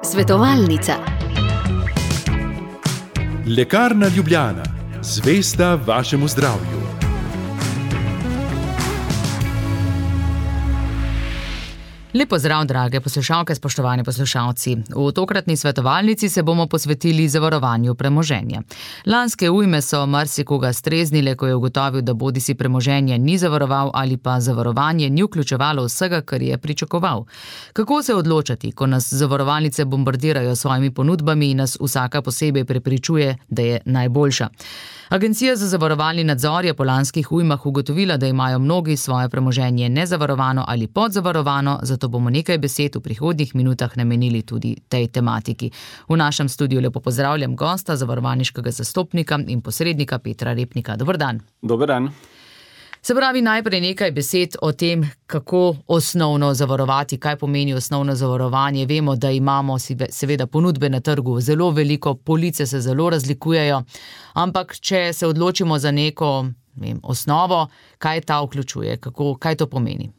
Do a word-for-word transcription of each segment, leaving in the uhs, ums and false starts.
Svetovalnica. Lekarna Ljubljana, zvesta vašemu zdravju. Lep pozdrav, drage poslušalke, spoštovani poslušalci. V tokratni svetovalnici se bomo posvetili zavarovanju premoženja. Lanske ujme so marsikoga streznile, ko je ugotovil, da bodisi premoženje ni zavaroval ali pa zavarovanje ni vključevalo vsega, kar je pričakoval. Kako se odločati, ko nas zavarovalnice bombardirajo s svojimi ponudbami in nas vsaka posebej prepričuje, da je najboljša? Agencija za zavarovalni nadzor je po lanskih ujmah ugotovila, da imajo mnogi svoje premoženje nezavarovano ali podzavarovano, zato bomo nekaj besed v prihodnjih minutah namenili tudi tej tematiki. V našem studiu lepo pozdravljam gosta, zavarovalniškega zastopnika in posrednika Petra Repnika. Dober dan. Dober dan. Se pravi, najprej nekaj besed o tem, kako osnovno zavarovati, kaj pomeni osnovno zavarovanje. Vemo, da imamo seveda ponudbe na trgu zelo veliko, police se zelo razlikujejo, ampak če se odločimo za neko vem, osnovo, kaj ta vključuje, kako, kaj to pomeni?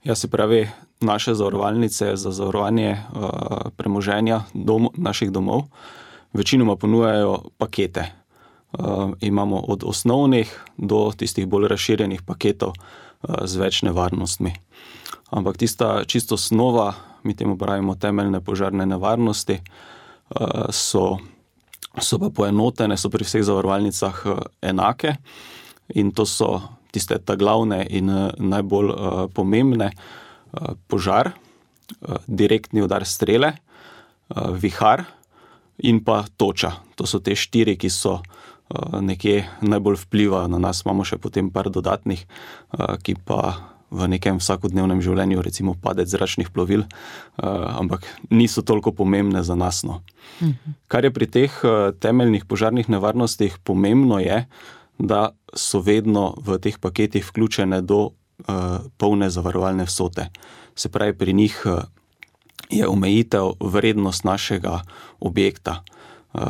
Ja, se pravi, naše zavarovalnice za zavarovanje uh, premoženja dom, naših domov večinoma ponujajo pakete. Uh, imamo od osnovnih do tistih bolj razširjenih paketov uh, z več nevarnostmi. Ampak tista čisto osnova, mi temu pravimo temeljne požarne nevarnosti, uh, so, so pa poenotene, so pri vseh zavarovalnicah uh, enake in to so tiste ta glavne in uh, najbolj uh, pomembne uh, požar, uh, direktni udar strele, uh, vihar in pa toča. To so te štiri, ki so nekje najbolj vpliva na nas. Imamo še potem par dodatnih, ki pa v nekem vsakodnevnem življenju, recimo padec zračnih plovil, ampak niso toliko pomembne za nas. No. Mhm. Kar je pri teh temeljnih požarnih nevarnostih pomembno je, da so vedno v teh paketih vključene do polne zavarovalne vsote. Se pravi, pri njih je omejitev vrednost našega objekta. Uh,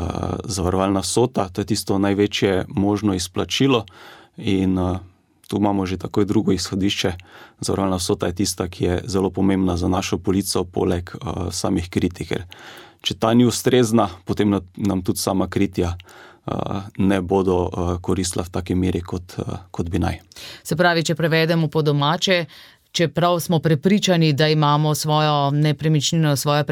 zavarovalna vsota, to je tisto največje možno izplačilo in uh, tu imamo že takoj drugo izhodišče. Zavarovalna vsota je tista, ki je zelo pomembna za našo polico, poleg uh, samih kritij, ker če ta ni ustrezna, potem na, nam tudi sama kritja uh, ne bodo uh, koristila v taki meri, kot, uh, kot bi naj. Se pravi, če prevedemo po domače, čeprav smo prepričani, da imamo svojo nepremičnino, svoje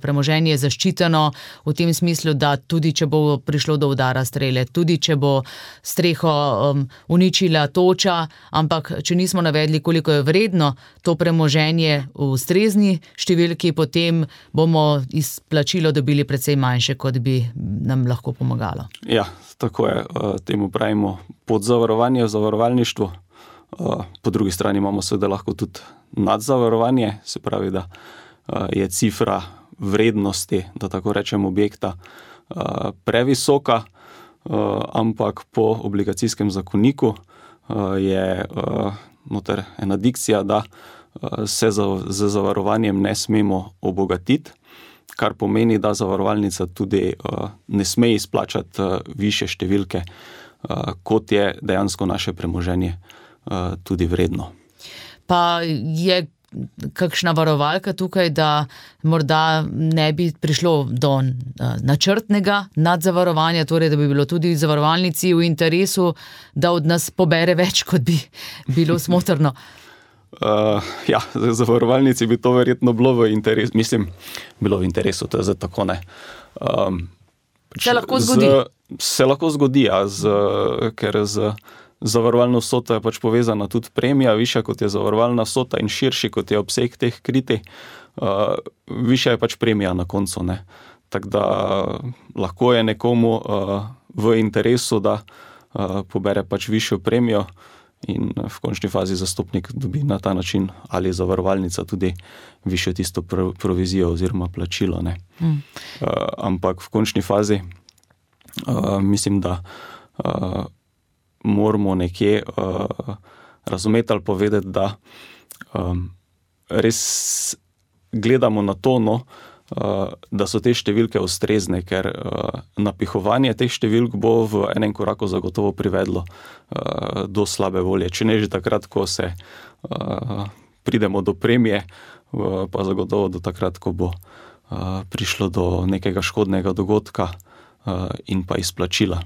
premoženje zaščiteno v tem smislu, da tudi če bo prišlo do udara strele, tudi če bo streho um, uničila toča, ampak če nismo navedli, koliko je vredno to premoženje v ustrezni številki, potem bomo izplačilo dobili precej manjše, kot bi nam lahko pomagalo. Ja, tako je. Temu pravimo podzavarovanje v zavarovalništvu. Po drugi strani imamo seveda lahko tudi nadzavarovanje, se pravi, da je cifra vrednosti, da tako rečem, objekta previsoka, ampak po obligacijskem zakoniku je noter ena dikcija, da se z zavarovanjem ne smemo obogatiti, kar pomeni, da zavarovalnica tudi ne sme izplačati višje številke, kot je dejansko naše premoženje tudi vredno. Pa je kakšna varovalka tukaj, da morda ne bi prišlo do načrtnega nadzavarovanja, torej da bi bilo tudi zavarovalnici v interesu, da od nas pobere več, kot bi bilo smotrno? Uh, ja, zavarovalnici bi to verjetno bilo v interesu, mislim, bilo v interesu, to je zdaj tako ne. Um, se lahko zgodi? Z, se lahko zgodi, ja, z, ker z zavarovalna vsota je pač povezana tudi premija, višja kot je zavarovalna vsota in širši kot je obseg teh kritij, uh, višja je pač premija na koncu. Ne. Tako da uh, lahko je nekomu uh, v interesu, da uh, pobere pač višjo premijo in v končni fazi zastopnik dobi na ta način ali zavarovalnica tudi višjo tisto pro, provizijo oziroma plačilo. Ne. Mm. Uh, ampak v končni fazi uh, mislim, da uh, moramo nekje uh, razumeti ali povedati, da um, res gledamo na to, no, uh, da so te številke ustrezne, ker uh, napihovanje teh številk bo v enem koraku zagotovo privedlo uh, do slabe volje. Če ne že takrat, ko se uh, pridemo do premije, pa zagotovo do takrat, ko bo prišlo do nekega škodnega dogodka in pa izplačila.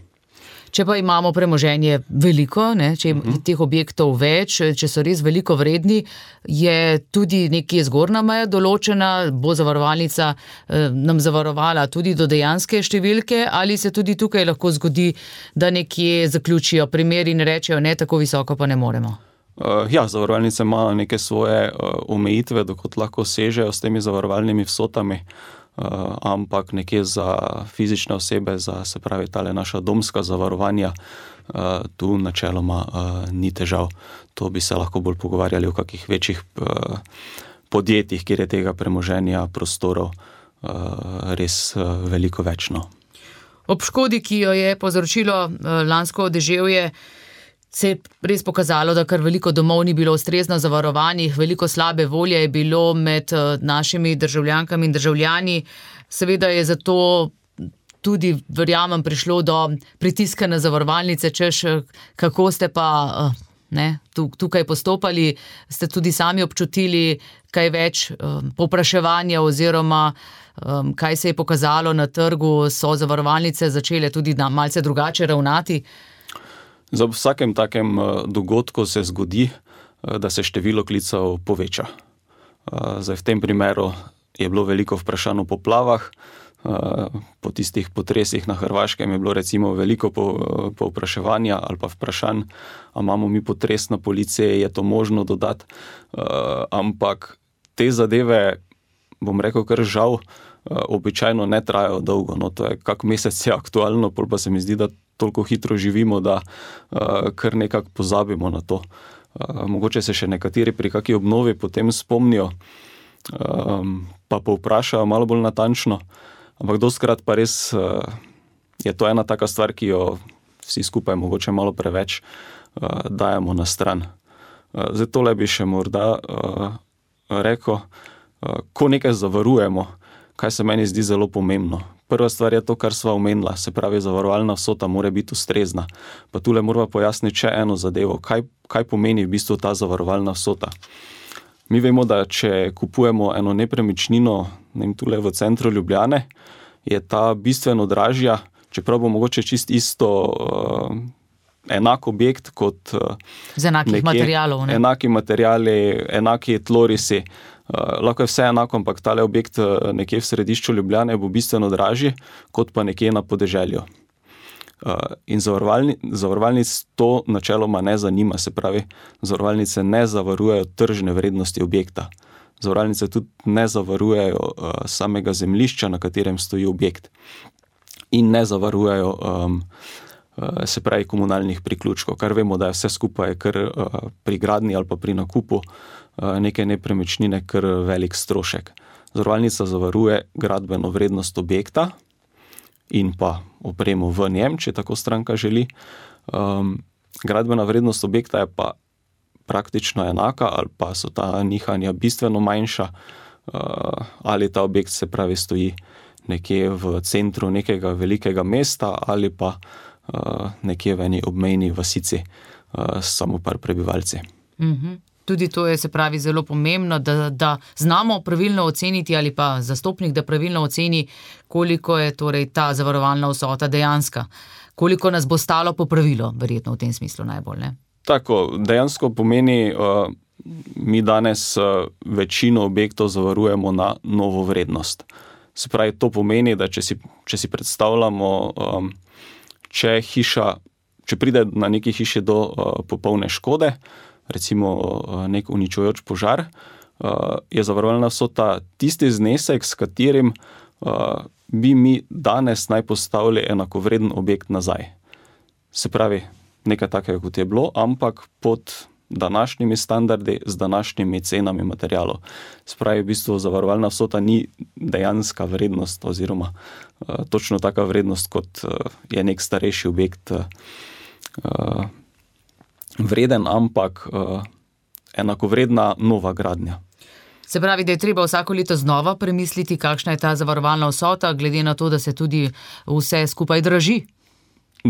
Če pa imamo premoženje veliko, ne, če je uh-huh. teh objektov več, če so res veliko vredni, je tudi nekje zgornja meja določena, bo zavarovalnica eh, nam zavarovala tudi do dejanske številke, ali se tudi tukaj lahko zgodi, da nekje zaključijo primer in rečejo, ne, tako visoko pa ne moremo? Uh, ja, zavarovalnice imajo neke svoje uh, omejitve, dokot lahko sežejo s temi zavarovalnimi vsotami. Uh, ampak nekje za fizične osebe, za se pravi tale naša domska zavarovanja, uh, tu načeloma uh, ni težav. To bi se lahko bolj pogovarjali o kakih večjih uh, podjetjih, kjer je tega premoženja, prostorov uh, res uh, veliko večno. Ob škodi, ki jo je povzročilo uh, lansko deževje, se je res pokazalo, da kar veliko domov ni bilo ustrezno zavarovanih, veliko slabe volje je bilo med našimi državljankami in državljani. Seveda je zato tudi, verjamem, prišlo do pritiska na zavarovalnice, češ, kako ste pa ne, tukaj postopali, ste tudi sami občutili kaj več povpraševanja oziroma kaj se je pokazalo na trgu, so zavarovalnice začele tudi malce drugače ravnati. Za vsakem takem dogodku se zgodi, da se število klicev poveča. Zdaj, v tem primeru je bilo veliko vprašanj o poplavah, po tistih potresih na Hrvaškem je bilo recimo veliko povpraševanja ali pa vprašanj, a imamo mi potres na policiji, je to možno dodati, ampak te zadeve, bom rekel, kar žal, običajno ne trajajo dolgo, no to je kak mesec je aktualno, pol pa se mi zdi, da toliko hitro živimo, da uh, kar nekako pozabimo na to. Uh, mogoče se še nekateri pri kaki obnovi potem spomnijo, um, pa povprašajo malo bolj natančno, ampak dostkrat pa res uh, je to ena taka stvar, ki jo vsi skupaj mogoče malo preveč uh, dajemo na stran. Uh, zdaj tole bi še morda uh, rekel, uh, ko nekaj zavarujemo, kaj se meni zdi zelo pomembno. Prva stvar je to, kar sva omenila, se pravi, zavarovalna vsota mora biti ustrezna. Pa tule moramo pojasniti še eno zadevo, kaj, kaj pomeni v bistvu ta zavarovalna vsota. Mi vemo, da če kupujemo eno nepremičnino, ne vem, tule v centru Ljubljane, je ta bistveno dražja, čeprav bo mogoče čist isto uh, enak objekt kot uh, z enakih nekje, materialov. Ne? Enaki materiali, enaki tlorisi. Uh, lahko je vse enako, ampak tale objekt uh, nekje v središču Ljubljane bo bistveno dražji, kot pa nekje na podeželju. Uh, in zavarovalni, zavarovalnic to načeloma ne zanima, se pravi, zavarovalnice ne zavarujejo tržne vrednosti objekta. Zavarovalnice tudi ne zavarujejo uh, samega zemljišča, na katerem stoji objekt. In ne zavarujejo um, uh, se pravi komunalnih priključkov, kar vemo, da je vse skupaj kar uh, pri gradnji ali pa pri nakupu neke nepremičnine kar velik strošek. Zavarovalnica zavaruje gradbeno vrednost objekta in pa opremo v njem, če tako stranka želi. Um, gradbena vrednost objekta je pa praktično enaka ali pa so ta nihanja bistveno manjša uh, ali ta objekt se pravi stoji nekje v centru nekega velikega mesta ali pa uh, nekje v eni obmejni vasici uh, samo par prebivalci. Mhm. Tudi to je, se pravi, zelo pomembno, da, da znamo pravilno oceniti ali pa zastopnik, da pravilno oceni, koliko je torej ta zavarovalna vsota dejanska. Koliko nas bo stalo popravilo, verjetno v tem smislu najbolj, ne? Tako, dejansko pomeni, uh, mi danes uh, večino objektov zavarujemo na novo vrednost. Se pravi, to pomeni, da če si, če si predstavljamo, um, če hiša, če pride na neki hiši do uh, popolne škode, recimo nek uničujoč požar, je zavarovalna vsota tisti znesek, s katerim bi mi danes naj postavili enakovreden objekt nazaj. Se pravi, nekaj takega, kot je bilo, ampak pod današnjimi standardi, z današnjimi cenami materialov. Se pravi, v bistvu zavarovalna vsota ni dejanska vrednost oziroma točno taka vrednost, kot je nek starejši objekt vreden, ampak uh, enakovredna nova gradnja. Se pravi, da je treba vsako leto znova premisliti, kakšna je ta zavarovalna vsota, glede na to, da se tudi vse skupaj draži?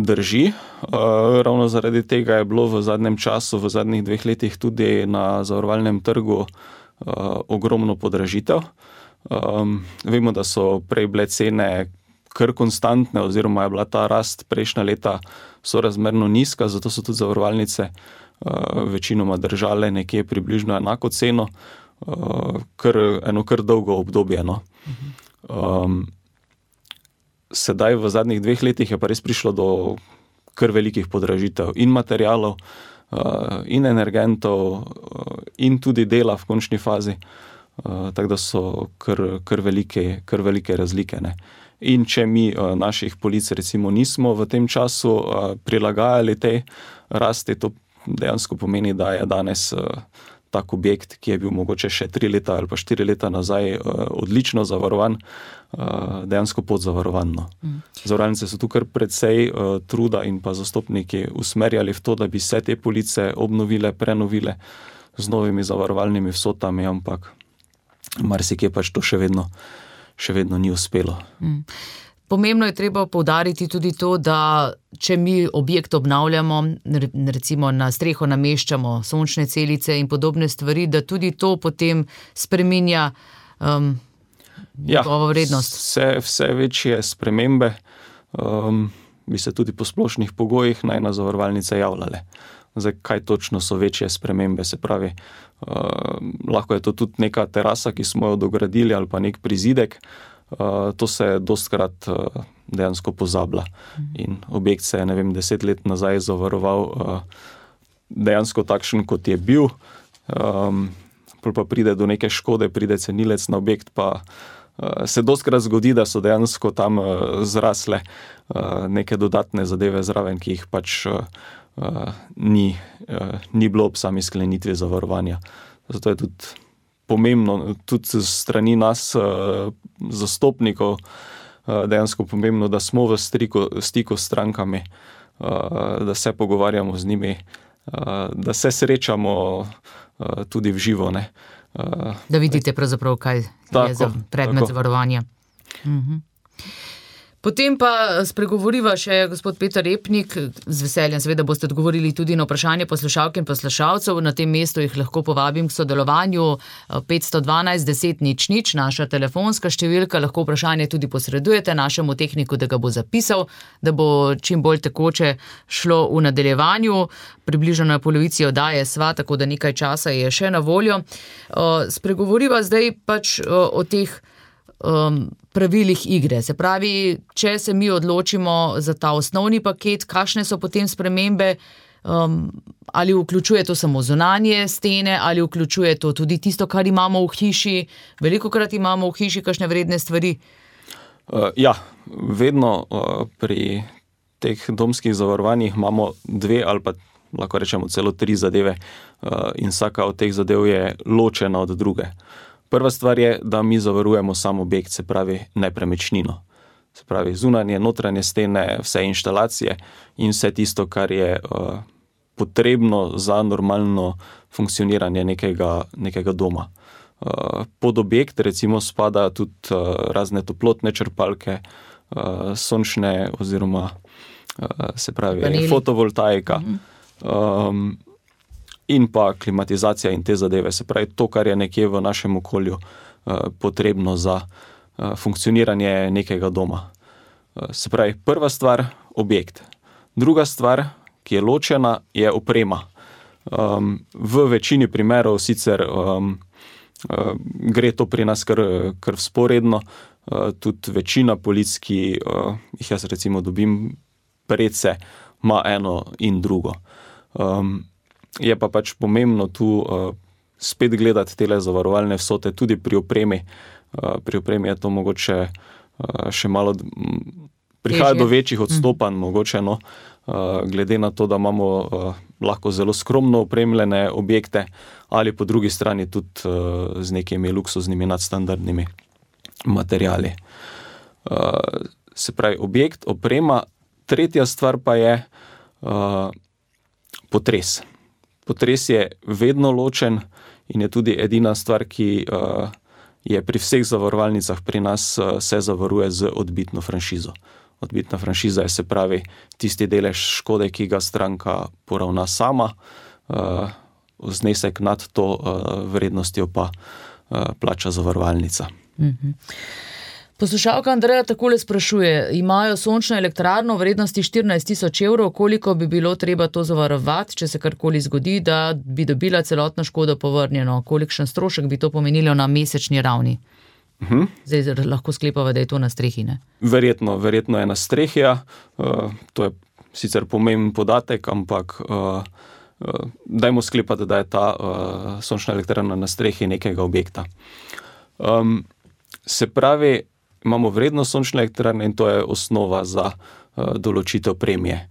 Drži. Ravno zaradi tega je bilo v zadnjem času, v zadnjih dveh letih tudi na zavarovalnem trgu ogromno podražitev. Vemo, da so prej bile cene kar konstantne oziroma je bila ta rast prejšnja leta sorazmerno nizka, zato so tudi zavarovalnice večinoma držale nekje približno enako ceno, kar, eno kar dolgo obdobje. No. Um, sedaj v zadnjih dveh letih je pa res prišlo do kar velikih podražitev in materialov, uh, in energentov, uh, in tudi dela v končni fazi, uh, tako da so kar, kar, velike, kar velike razlike. Ne. In če mi uh, naših polic recimo nismo v tem času uh, prilagajali tej rasti, to dejansko pomeni, da je danes uh, tak objekt, ki je bil mogoče še tri leta ali pa štiri leta nazaj odlično zavarovan, dejansko podzavarovan. Mm. Zavarovalnice so tu kar precej truda in pa zastopniki usmerjali v to, da bi se te police obnovile, prenovile z novimi zavarovalnimi vsotami, ampak marsikje pač to še vedno, še vedno ni uspelo. Mm. Pomembno je treba poudariti tudi to, da če mi objekt obnavljamo, recimo na streho nameščamo sončne celice in podobne stvari, da tudi to potem spreminja um, njegovo vrednost. Vse, vse večje spremembe um, bi se tudi po splošnih pogojih naj na zavarovalnice javljale. Zdaj, kaj točno so večje spremembe, se pravi, uh, lahko je to tudi neka terasa, ki smo jo dogradili, ali pa nek prizidek. Uh, to se dostkrat uh, dejansko pozablja. In objekt se je, ne vem, deset let nazaj zavaroval uh, dejansko takšen, kot je bil. Um, pa pride do neke škode, pride cenilec na objekt, pa uh, se dostkrat zgodi, da so dejansko tam uh, zrasle uh, neke dodatne zadeve zraven, ki jih pač uh, uh, ni, uh, ni bilo ob sami sklenitvi zavarovanja. Zato je tudi pomembno, tudi strani nas, zastopnikov, dejansko pomembno, da smo v stiku, stiku s strankami, da se pogovarjamo z njimi, da se srečamo tudi v živo. Ne. Da vidite pravzaprav, kaj tako, je za predmet tako. Zavarovanja. Mhm. Potem pa spregovoriva še gospod Peter Repnik, z veseljem seveda boste odgovorili tudi na vprašanje poslušalk in poslušalcev, na tem mestu jih lahko povabim k sodelovanju petsto dvanajst deset nič nič, naša telefonska številka, lahko vprašanje tudi posredujete našemu tehniku, da ga bo zapisal, da bo čim bolj tekoče šlo v nadaljevanju, približno na polovici oddaje sva, tako da nekaj časa je še na voljo. Spregovoriva zdaj pač o teh Um, pravilih igre. Se pravi, če se mi odločimo za ta osnovni paket, kakšne so potem spremembe, um, ali vključuje to samo zunanje stene, ali vključuje to tudi tisto, kar imamo v hiši. Velikokrat imamo v hiši kakšne vredne stvari. Uh, ja, vedno uh, pri teh domskih zavarovanjih imamo dve ali pa lahko rečemo celo tri zadeve uh, in vsaka od teh zadev je ločena od druge. Prva stvar je, da mi zavarujemo sam objekt, se pravi nepremičnino. Se pravi zunanje, notranje stene, vse inštalacije in vse tisto, kar je uh, potrebno za normalno funkcioniranje nekega, nekega doma. Uh, pod objekt recimo spada tudi uh, razne toplotne črpalke, uh, sončne oziroma uh, se pravi Paneli. fotovoltaika. Mhm. Um, in pa klimatizacija in te zadeve, se pravi to, kar je nekje v našem okolju uh, potrebno za uh, funkcioniranje nekega doma. Uh, se pravi, prva stvar, objekt. Druga stvar, ki je ločena, je oprema. Um, v večini primerov sicer um, uh, gre to pri nas kar, kar vzporedno, uh, tudi večina polic, ki uh, jih jaz recimo dobim predse, ima eno in drugo. Um, Je pa pač pomembno tu uh, spet gledati tele zavarovalne vsote tudi pri opremi. Uh, pri opremi je to mogoče uh, še malo, m, prihaja Težje. do večjih odstopanj, mm. mogoče, no, uh, glede na to, da imamo uh, lahko zelo skromno opremljene objekte ali po drugi strani tudi uh, z nekimi luksuznimi nadstandardnimi materiali. Uh, se pravi, objekt, oprema. Tretja stvar pa je uh, potres. Potres je vedno ločen in je tudi edina stvar, ki uh, je pri vseh zavarovalnicah pri nas uh, se zavaruje z odbitno franšizo. odbitna franšiza je, se pravi, tisti delež škode, ki ga stranka poravna sama, uh, znesek nad to uh, vrednostjo pa uh, plača zavarovalnica. Mhm. Poslušalka Andreja takole sprašuje, imajo sončno elektrarno v vrednosti štirinajst tisoč evrov, koliko bi bilo treba to zavarovati, če se karkoli zgodi, da bi dobila celotno škodo povrnjeno, kolikšen strošek bi to pomenilo na mesečni ravni? Uh-huh. Zdaj lahko sklepava, da je to na strehi, ne? Verjetno, verjetno je na strehi, ja. Uh, to je sicer pomemben podatek, ampak uh, uh, dajmo sklepati, da je ta uh, sončna elektrarna na strehi nekega objekta. Um, se pravi, imamo vrednost sončne elektrarne in to je osnova za uh, določitev premije.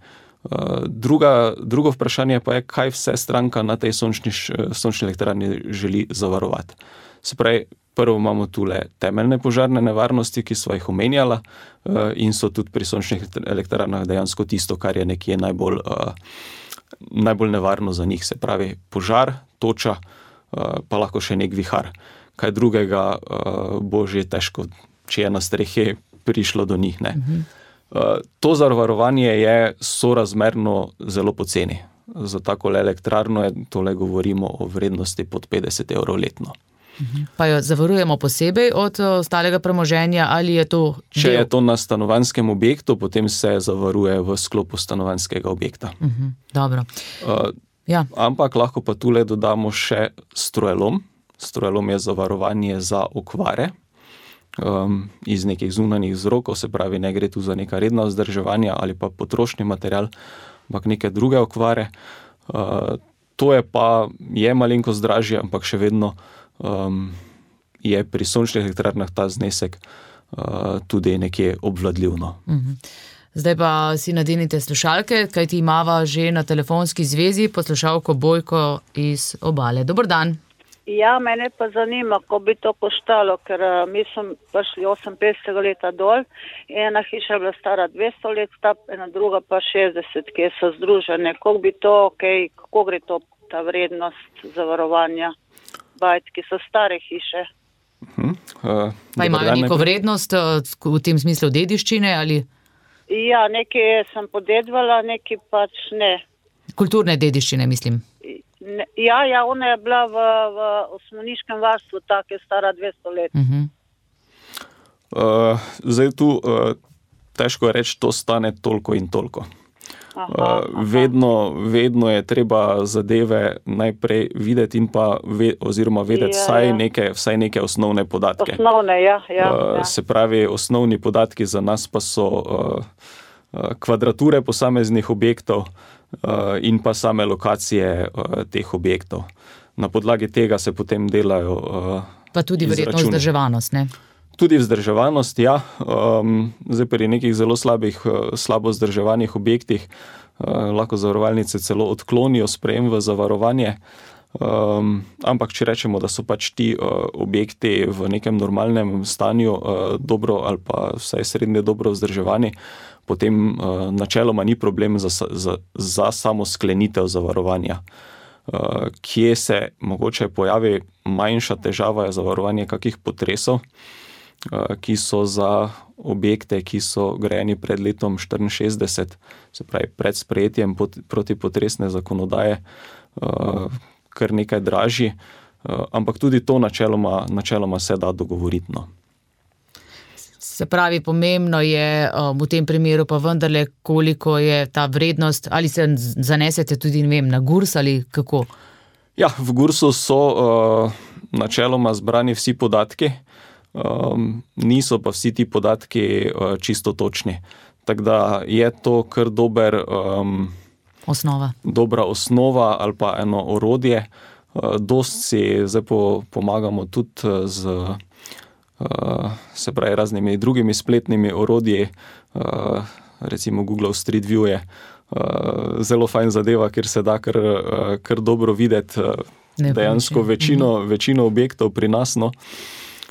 Uh, druga, drugo vprašanje pa je, kaj vse stranka na tej sončni, sončni elektrarni želi zavarovati. Se pravi, prvo imamo tule temeljne požarne nevarnosti, ki sva jih omenjala uh, in so tudi pri sončnih elektrarnah dejansko tisto, kar je nekje najbolj, uh, najbolj nevarno za njih. Se pravi, požar, toča, uh, pa lahko še nek vihar. Kaj drugega uh, bo že težko, če je na strehi prišlo do njih. Ne. Uh, to zavarovanje je sorazmerno zelo poceni. Za tako elektrarno je, tole govorimo o vrednosti pod petdeset evrov letno. Pa jo zavarujemo posebej od ostalega premoženja ali je to del? Če je to na stanovanjskem objektu, potem se zavaruje v sklopu stanovanjskega objekta. Uh-huh. Dobro. Uh, ja. Ampak lahko pa tule dodamo še strojelom. Strojelom je zavarovanje za okvare um, iz nekih zunanjih vzrokov, se pravi, ne gre tu za neka redna vzdrževanja ali pa potrošni material, ampak neke druge okvare. Uh, to je pa, je malenkost dražje, ampak še vedno um, je pri sončnih elektrarnah ta znesek uh, tudi nekje obvladljivno. Uh-huh. Zdaj pa si nadenite slušalke, kajti imava že na telefonski zvezi poslušalko Bojko iz Obale. Dober dan. Ja, mene pa zanima, ko bi to koštalo, ker uh, mi smo prišli oseminpetdesetega leta dol, ena hiša je bila stara dvesto let, ena druga pa šestdeset, ki so združene. Kako bi to, okay, kako gre to, ta vrednost zavarovanja bajt, ki so stare hiše? Uh-huh. Uh, pa imajo neko vrednost uh, v tem smislu dediščine ali? Ja, nekaj sem podedvala, nekaj pač ne. Kulturne dediščine, mislim. Ne, ja, ja, ona je bila v, v osmoniškem varstvu, tako je stara dvesto let. Uh-huh. Uh, zdaj tu uh, težko je reči, to stane toliko in toliko. Aha, uh, vedno, vedno je treba zadeve najprej videti in pa ve, oziroma vedeti ja, vsaj, ja. Neke, vsaj neke osnovne podatke. Osnovne, ja. ja, uh, ja. Se pravi, osnovni podatki za nas pa so uh, uh, kvadrature posameznih objektov, Uh, in pa same lokacije uh, teh objektov. Na podlagi tega se potem delajo uh, pa tudi verjetno vzdrževanost, ne? Tudi vzdrževanost, ja. Um, zdaj pri nekih zelo slabih, uh, slabo vzdrževanih objektih uh, lahko zavarovalnice celo odklonijo sprejem v zavarovanje. Um, ampak če rečemo, da so pač ti uh, objekti v nekem normalnem stanju uh, dobro ali pa vsaj srednje dobro vzdrževani, potem uh, načeloma ni problem za, za, za samo sklenitev zavarovanja. Uh, kje se mogoče pojavi manjša težava je zavarovanje kakih potresov, uh, ki so za objekte, ki so grajeni pred letom štiriinšestdeset, se pravi pred sprejetjem pot, protipotresne zakonodaje, uh, kar nekaj dražji, uh, ampak tudi to načeloma, načeloma se da dogovoriti. No. Se pravi, pomembno je um, v tem primeru pa vendarle, koliko je ta vrednost, ali se zanesete tudi, ne vem, na GURS ali kako? Ja, v GURSu so uh, načeloma zbrani vsi podatki, um, niso pa vsi ti podatki uh, čisto točni. Tako da je to kar dober, um, osnova. dobra osnova ali pa eno orodje. Uh, dost si zdaj po, pomagamo tudi z Uh, se pravi raznimi drugimi spletnimi orodji, uh, recimo Google Street View je uh, zelo fajn zadeva, ker se da kar, uh, kar dobro videti uh, dejansko večino, mhm. večino objektov pri nas. No.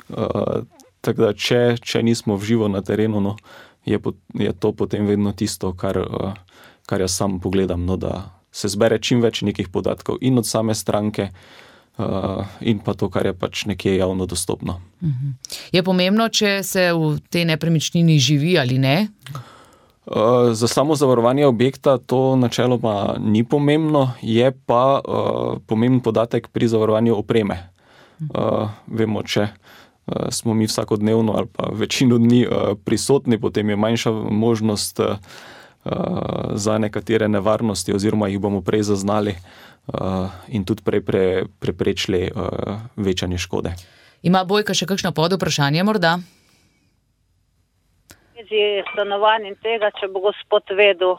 Uh, tako da, če, če nismo v živo na terenu, no, je, po, je to potem vedno tisto, kar, uh, kar jaz sam pogledam, no, da se zbere čim več nekih podatkov in od same stranke, Uh, in pa to, kar je pač nekje javno dostopno. Je pomembno, če se v tej nepremičnini živi ali ne? Uh, za samo zavarovanje objekta to načeloma ni pomembno, je pa uh, pomemben podatek pri zavarovanju opreme. Uh, vemo, če uh, smo mi vsakodnevno ali pa večino dni uh, prisotni, potem je manjša možnost uh, za nekatere nevarnosti oziroma jih bomo prej zaznali uh, in tudi prej pre, preprečili uh, večanje škode. Ima Bojka še kakšno pod vprašanje morda? Stanovanj in tega, če bo gospod vedel.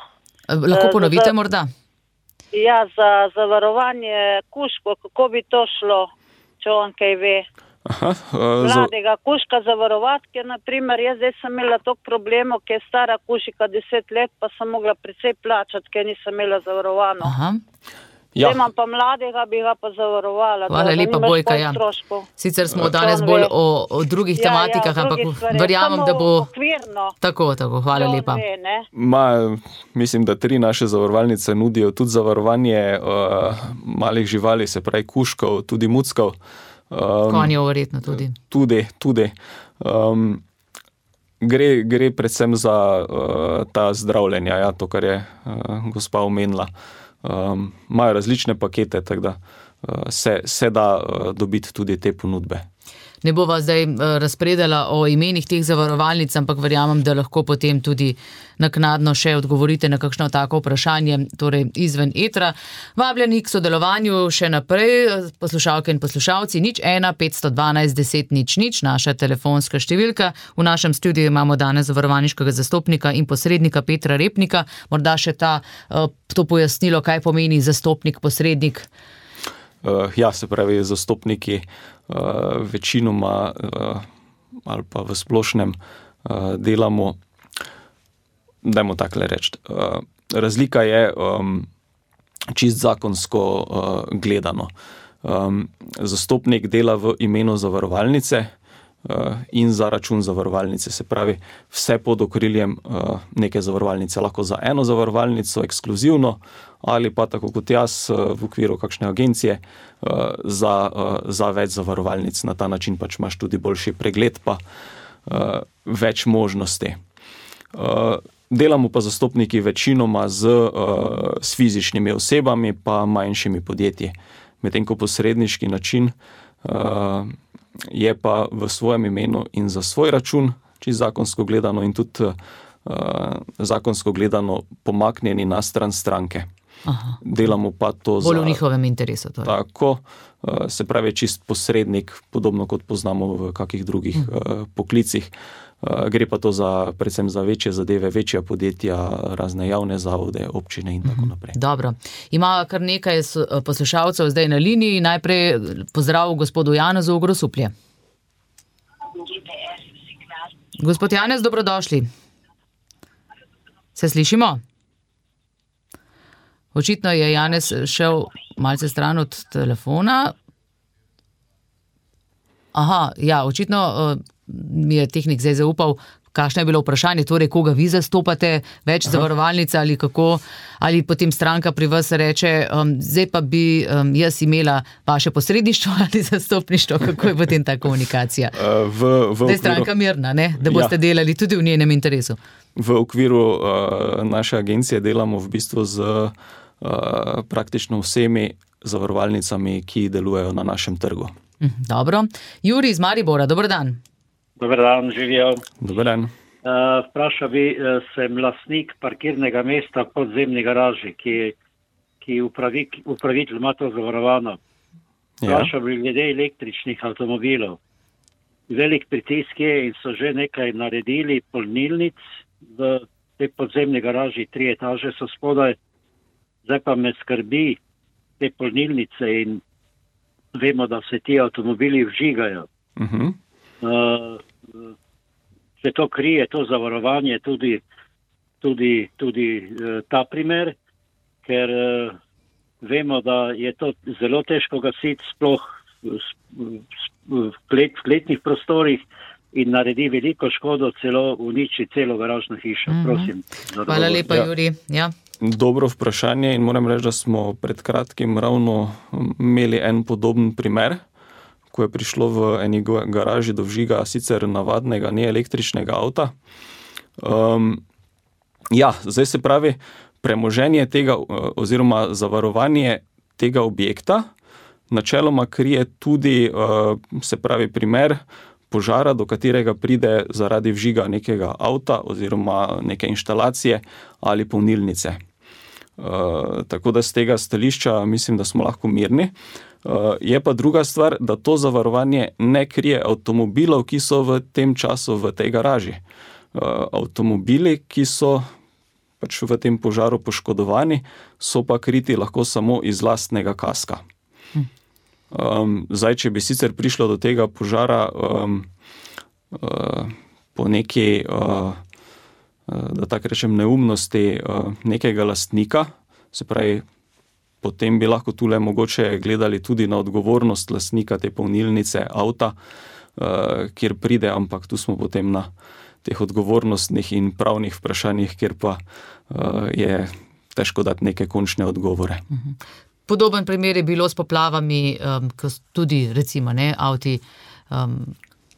Lahko ponovite morda? Ja, za zavarovanje kužkov, kako bi to šlo, če on kaj ve. Aha, uh, Mladega kužka zavarovati, ker naprimer jaz zdaj sem imela toliko problemov, ker je stara kužika deset let, pa sem mogla precej plačati, ker nisem imela zavarovano. Aha. Ja. Zdaj imam pa mladega, bi ga pa zavarovala. Hvala lepa, Bojka. Ja. Sicer smo danes bolj o, o drugih ja, tematikah, ja, ampak verjamem, da bo okvirno. Tako, tako. Hvala lepa. Ve, Ma, mislim, da tri naše zavarovalnice nudijo tudi zavarovanje uh, malih živali, se pravi kužkov, tudi muckov. Um, Konjev verjetno tudi. Tudi, tudi. Um, gre, gre predvsem za uh, ta zdravljenja, ja, to, kar je uh, gospa omenila. Um, imajo različne pakete, tako da uh, se, se da uh, dobiti tudi te ponudbe. Ne bova zdaj uh, razpredala o imenih teh zavarovalnic, ampak verjamem, da lahko potem tudi naknadno še odgovorite na kakšno tako vprašanje, torej izven etra. Vabljeni k sodelovanju še naprej, poslušalke in poslušalci, nič ena, petsto dvanajst, deset, nič, nič, naša telefonska številka. V našem studiu imamo danes zavarovalniškega zastopnika in posrednika Petra Repnika. Morda še ta, uh, to pojasnilo, kaj pomeni zastopnik, posrednik. Uh, ja, se pravi, zastopniki uh, večinoma uh, ali pa v splošnem uh, delamo, dajmo takle reči. Uh, razlika je um, čist zakonsko uh, gledano. Um, zastopnik dela v imenu zavarovalnice uh, in za račun zavarovalnice, se pravi, vse pod okriljem uh, neke zavarovalnice, lahko za eno zavarovalnico ekskluzivno, ali pa tako kot jaz v okviru kakšne agencije za, za več zavarovalnic. Na ta način pač imaš tudi boljši pregled, pa več možnosti. Delamo pa zastopniki večinoma z, s fizičnimi osebami pa manjšimi podjetji. Medtem ko posredniški način je pa v svojem imenu in za svoj račun, čisto zakonsko gledano in tudi zakonsko gledano pomaknjeni na stran stranke. Aha. Delamo pa to bolj za... v njihovem interesu. Torej. Tako, se pravi čist posrednik, podobno kot poznamo v kakih drugih hmm. poklicih. Gre pa to za, predvsem za večje zadeve, večja podjetja, razne javne zavode, občine in tako naprej. Dobro. Ima kar nekaj poslušalcev zdaj na liniji. Najprej pozdrav gospodu Janezu v Grosuplje. Gospod Janez, dobrodošli. Se slišimo? Očitno je Janez šel malce stran od telefona. Aha, ja, očitno uh, mi je tehnik zdaj zaupal, kakšno je bilo vprašanje, torej koga vi zastopate, več zavarovalnica ali kako, ali potem stranka pri vas reče, um, zdaj pa bi um, jaz imela vaše posredništvo ali zastopništvo, kako je potem ta komunikacija? Uh, v, v zdaj je stranka mirna, ne? Da boste ja. delali tudi v njenem interesu. V okviru uh, naše agencije delamo v bistvu z uh, praktično vsemi zavarovalnicami, ki delujejo na našem trgu. Dobro. Juri iz Maribora, dober dan. Dober dan, živijo. Dober dan. Uh, vprašal bi, uh, sem lastnik parkirnega mesta v podzemni garaži, ki, ki upravi, upravitelj ima to zavarovano. Vprašal bi glede električnih avtomobilov. Velik pritisk je in so že nekaj naredili polnilnic v tej podzemni garaži, tri etaže so spodaj. Zdaj pa me skrbi te polnilnice in vemo, da se ti avtomobili vžigajo. Uh-huh. Uh, se to krije, to zavarovanje, tudi, tudi, tudi uh, ta primer, ker uh, vemo, da je to zelo težko gasiti sploh v klet, kletnih prostorih in naredi veliko škodo, celo uniči celo garažno hišo. Mm-hmm. Prosim. Hvala lepa, ja. Juri. Ja. Dobro vprašanje in moram reči, da smo pred kratkim ravno imeli en podoben primer, ko je prišlo v eni garaži do vžiga sicer navadnega, ne električnega avta. Um, Ja, zdaj se pravi, premoženje tega oziroma zavarovanje tega objekta načeloma krije tudi, se pravi, primer požara, do katerega pride zaradi vžiga nekega avta oziroma neke inštalacije ali polnilnice. Tako da z tega stališča mislim, da smo lahko mirni. Je pa druga stvar, da to zavarovanje ne krije avtomobilov, ki so v tem času v tej garaži. Avtomobili, ki so pač v tem požaru poškodovani, so pa kriti lahko samo iz lastnega kaska. Um, zdaj, če bi sicer prišlo do tega požara um, uh, po neki, uh, da tako rečem, neumnosti uh, nekega lastnika, se pravi, potem bi lahko tule mogoče gledali tudi na odgovornost lastnika te polnilnice avta, uh, kjer pride, ampak tu smo potem na teh odgovornostnih in pravnih vprašanjih, kjer pa uh, je težko dati neke končne odgovore. Podoben primer je bilo s poplavami, um, ko tudi recimo ne, avti. Um,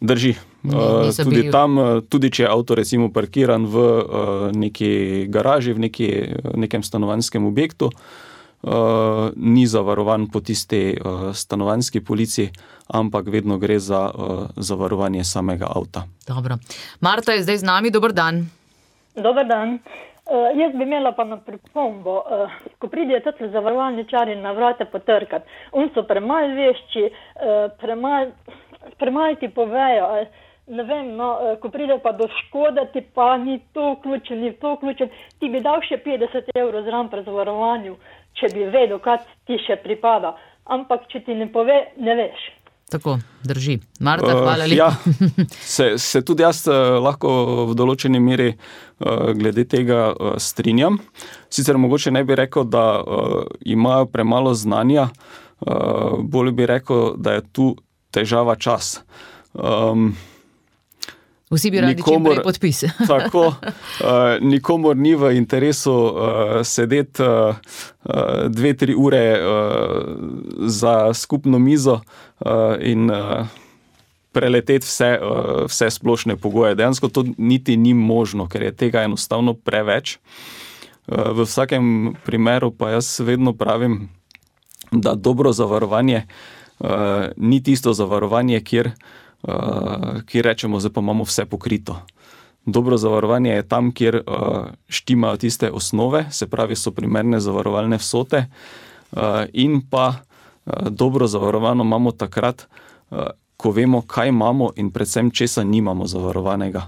Drži. Uh, tudi bili... tam, tudi če je avto recimo parkiran v uh, neki garaži, v neki, nekem stanovanjskem objektu, uh, ni zavarovan po tisti uh, stanovanjski polici, ampak vedno gre za uh, zavarovanje samega avta. Dobro. Marta je zdaj z nami, dober dan. Dober dan. Uh, jaz bi imela pa na pripombo, uh, ko pridejo tudi zavarovalničari na vrata potrkati, on so premalo vešči, uh, premalo premalo ti povejo, ne vem, no, uh, ko pride pa do škode, ti pa ni to vključen, ni to vključen, ti bi dal še petdeset evrov zraven pri zavarovanju, če bi vedel, kaj ti še pripada, ampak če ti ne pove, ne veš. Tako, drži. Marta, hvala lepa. Uh, ja, se, se tudi jaz uh, lahko v določeni meri uh, glede tega uh, strinjam. Sicer mogoče ne bi rekel, da uh, imajo premalo znanja, uh, bolj bi rekel, da je tu težava čas. Um, Vsi bi radi čim prej podpis. Tako, uh, nikomor ni v interesu uh, sedeti uh, dve, tri ure uh, za skupno mizo uh, in uh, preleteti vse, uh, vse splošne pogoje. Dejansko to niti ni možno, ker je tega enostavno preveč. Uh, v vsakem primeru pa jaz vedno pravim, da dobro zavarovanje uh, ni tisto zavarovanje, kjer Uh, kjer rečemo, zdaj pa imamo vse pokrito. Dobro zavarovanje je tam, kjer uh, štimajo tiste osnove, se pravi, so primerne zavarovalne vsote uh, in pa uh, dobro zavarovano imamo takrat, uh, ko vemo, kaj imamo in predvsem česa nimamo zavarovanega.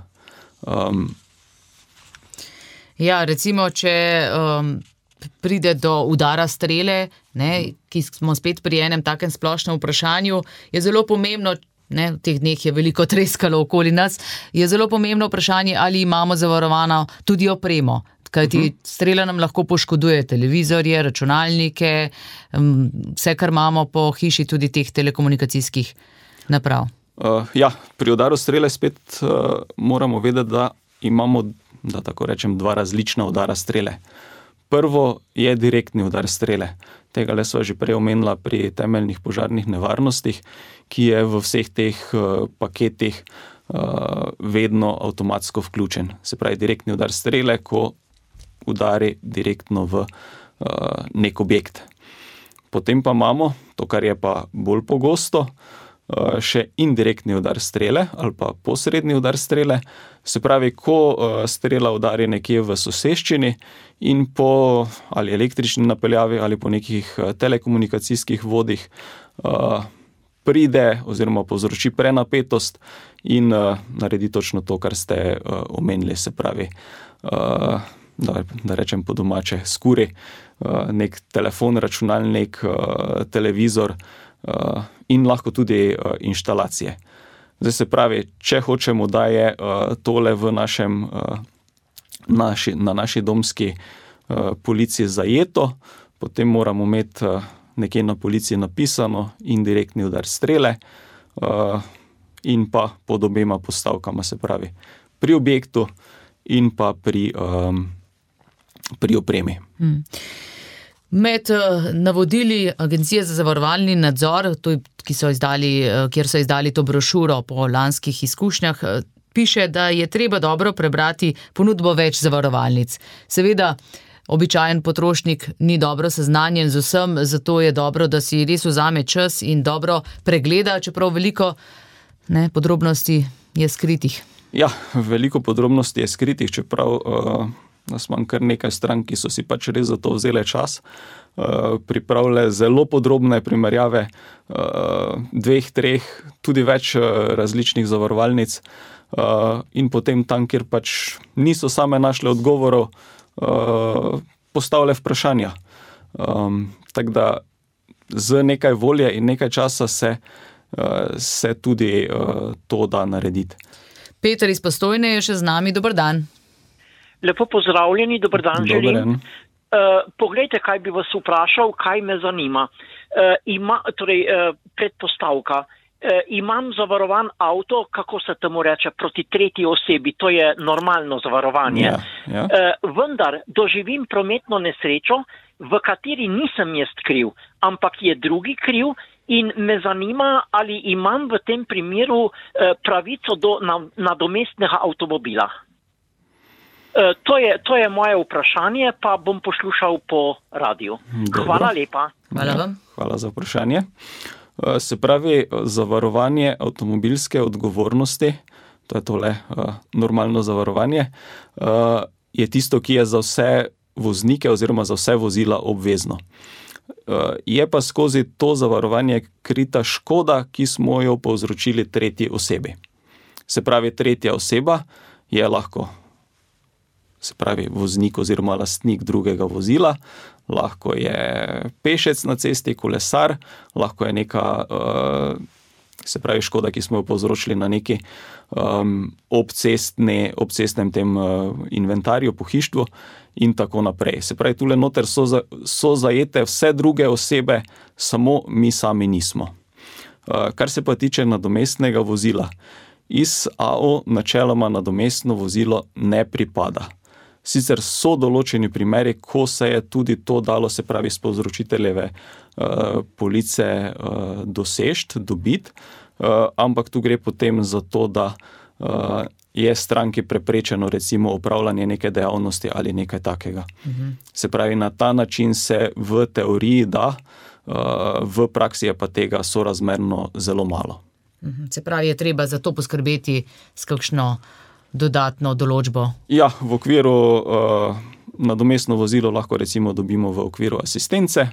Um, ja, recimo, če um, pride do udara strele, ne, ki smo spet pri enem takem splošnem vprašanju, je zelo pomembno, ne, v teh dneh je veliko treskalo okoli nas, je zelo pomembno vprašanje, ali imamo zavarovano tudi opremo, kajti uh-huh. strela nam lahko poškoduje televizorje, računalnike, vse, kar imamo po hiši, tudi teh telekomunikacijskih naprav. Uh, ja, pri udaru strele spet uh, moramo vedeti, da imamo, da tako rečem, dva različna udara strele. Prvo je direktni udar strele. Tega le sva že prej omenila pri temeljnih požarnih nevarnostih, ki je v vseh teh uh, paketih uh, vedno avtomatsko vključen. Se pravi, direktni udar strele, ko udari direktno v uh, nek objekt. Potem pa imamo, to kar je pa bolj pogosto, uh, še indirektni udar strele ali pa posredni udar strele. Se pravi, ko uh, strela udari nekje v soseščini in po ali električni napeljavi ali po nekih uh, telekomunikacijskih vodih uh, pride oziroma povzroči prenapetost in uh, naredi točno to, kar ste uh, omenili, se pravi, uh, da, da rečem po domače, skuri uh, nek telefon, računalnik, uh, televizor uh, in lahko tudi uh, inštalacije. Zdaj se pravi, če hočemo, da je uh, tole v našem, uh, naši, na naši domski uh, policiji zajeto, potem moramo imeti uh, nekje na policiji napisano indirektni udar strele uh, in pa pod obema postavkama, se pravi, pri objektu in pa pri, um, pri opremi. Hmm. Med navodili Agencije za zavarovalni nadzor, ki so izdali, kjer so izdali to brošuro po lanskih izkušnjah, piše, da je treba dobro prebrati ponudbo več zavarovalnic. Seveda, običajen potrošnik ni dobro seznanjen z vsem, zato je dobro, da si res vzame čas in dobro pregleda, čeprav veliko ne, podrobnosti je skritih. Ja, veliko podrobnosti je skritih, čeprav uh, nas imam kar nekaj strank, ki so si pač res za to vzele čas, uh, pripravile zelo podrobne primerjave uh, dveh, treh, tudi več uh, različnih zavarovalnic uh, in potem tam, kjer pač niso same našle odgovorov, uh, postavile vprašanja. Um, tako da z nekaj volje in nekaj časa se, uh, se tudi uh, to da narediti. Peter iz Postojne je še z nami. Dober dan. Lepo pozdravljeni, dober dan želim. Dober dan. Uh, poglejte, kaj bi vas vprašal, kaj me zanima. Uh, ima, torej, uh, predpostavka. Uh, imam zavarovan avto, kako se temu reče, proti tretji osebi. To je normalno zavarovanje. Ja, ja. Uh, vendar doživim prometno nesrečo, v kateri nisem jaz kriv, ampak je drugi kriv. In me zanima, ali imam v tem primeru eh, pravico do nadomestnega avtomobila. Eh, to, je, to je moje vprašanje, pa bom poslušal po radiju. Dobro. Hvala lepa. Hvala vam. Hvala za vprašanje. Se pravi, zavarovanje avtomobilske odgovornosti, to je tole normalno zavarovanje, je tisto, ki je za vse voznike oziroma za vse vozila obvezno. Je pa skozi to zavarovanje krita škoda, ki smo jo povzročili tretji osebi. Se pravi, tretja oseba je lahko, se pravi, voznik oziroma lastnik drugega vozila, lahko je pešec na cesti, kolesar, lahko je neka, se pravi, škoda, ki smo jo povzročili na neki um, obcestne, obcestnem tem uh, inventarju, pohištvu in tako naprej. Se pravi, tule noter so, za, so zajete vse druge osebe, samo mi sami nismo. Uh, kar se pa tiče nadomestnega vozila, iz A O načeloma nadomestno vozilo ne pripada. Sicer so določeni primeri, ko se je tudi to dalo, se pravi, s povzročiteljeve uh, police uh, dosežt, dobiti, uh, ampak tu gre potem za to, da uh, je stranki preprečeno recimo opravljanje neke dejavnosti ali nekaj takega. Mhm. Se pravi, na ta način se v teoriji da, uh, v praksi je pa tega sorazmerno zelo malo. Mhm. Se pravi, je treba za to poskrbeti s kakšno dodatno določbo? Ja, v okviru uh, nadomestno vozilo lahko recimo dobimo v okviru asistence,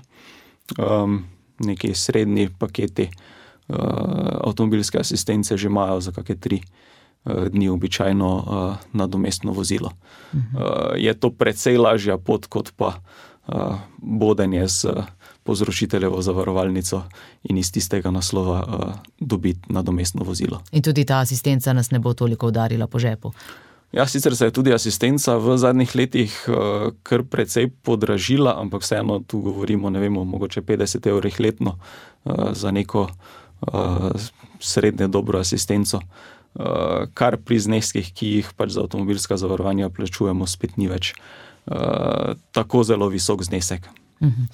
um, neki srednji paketi uh, avtomobilske asistence že imajo za kakšne tri uh, dni običajno uh, nadomestno vozilo. Uh-huh. Uh, je to precej lažja pot, kot pa uh, bodenje z uh, povzročiteljevo zavarovalnico in iz tistega naslova uh, dobiti nadomestno vozilo. In tudi ta asistenca nas ne bo toliko udarila po žepu. Ja, sicer se je tudi asistenca v zadnjih letih uh, kar precej podražila, ampak vseeno tu govorimo, ne vemo, mogoče petdeset evrih letno uh, za neko uh, srednje dobro asistenco, uh, kar pri zneskih, ki jih pač za avtomobilska zavarovanja plačujemo, spet ni več uh, tako zelo visok znesek. Mhm.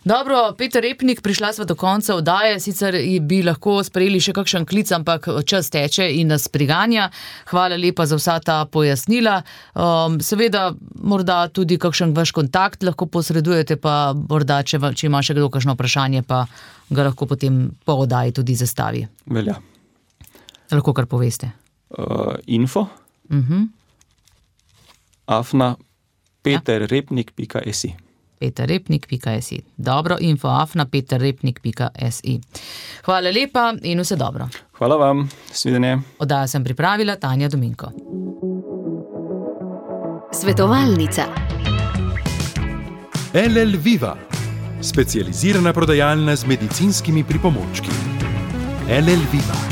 Dobro, Peter Repnik, prišla sva do konca oddaje, sicer bi lahko sprejeli še kakšen klic, ampak čas teče in nas priganja. Hvala lepa za vsa ta pojasnila. Um, seveda, morda tudi kakšen vaš kontakt lahko posredujete, pa morda, če, če ima še kdo kakšno vprašanje, pa ga lahko potem po oddaji tudi zastavi. Velja. Lahko kar poveste. Uh, info uh-huh. afna peterrepnik pika si peterrepnik pika si. Dobro, info afna peterrepnik pika si. Hvala lepa in vse dobro. Hvala vam, svidenje. Oddajo sem pripravila Tanja Dominko. Svetovalnica. L L Viva, specializirana prodajalna z medicinskimi pripomočki. L L Viva.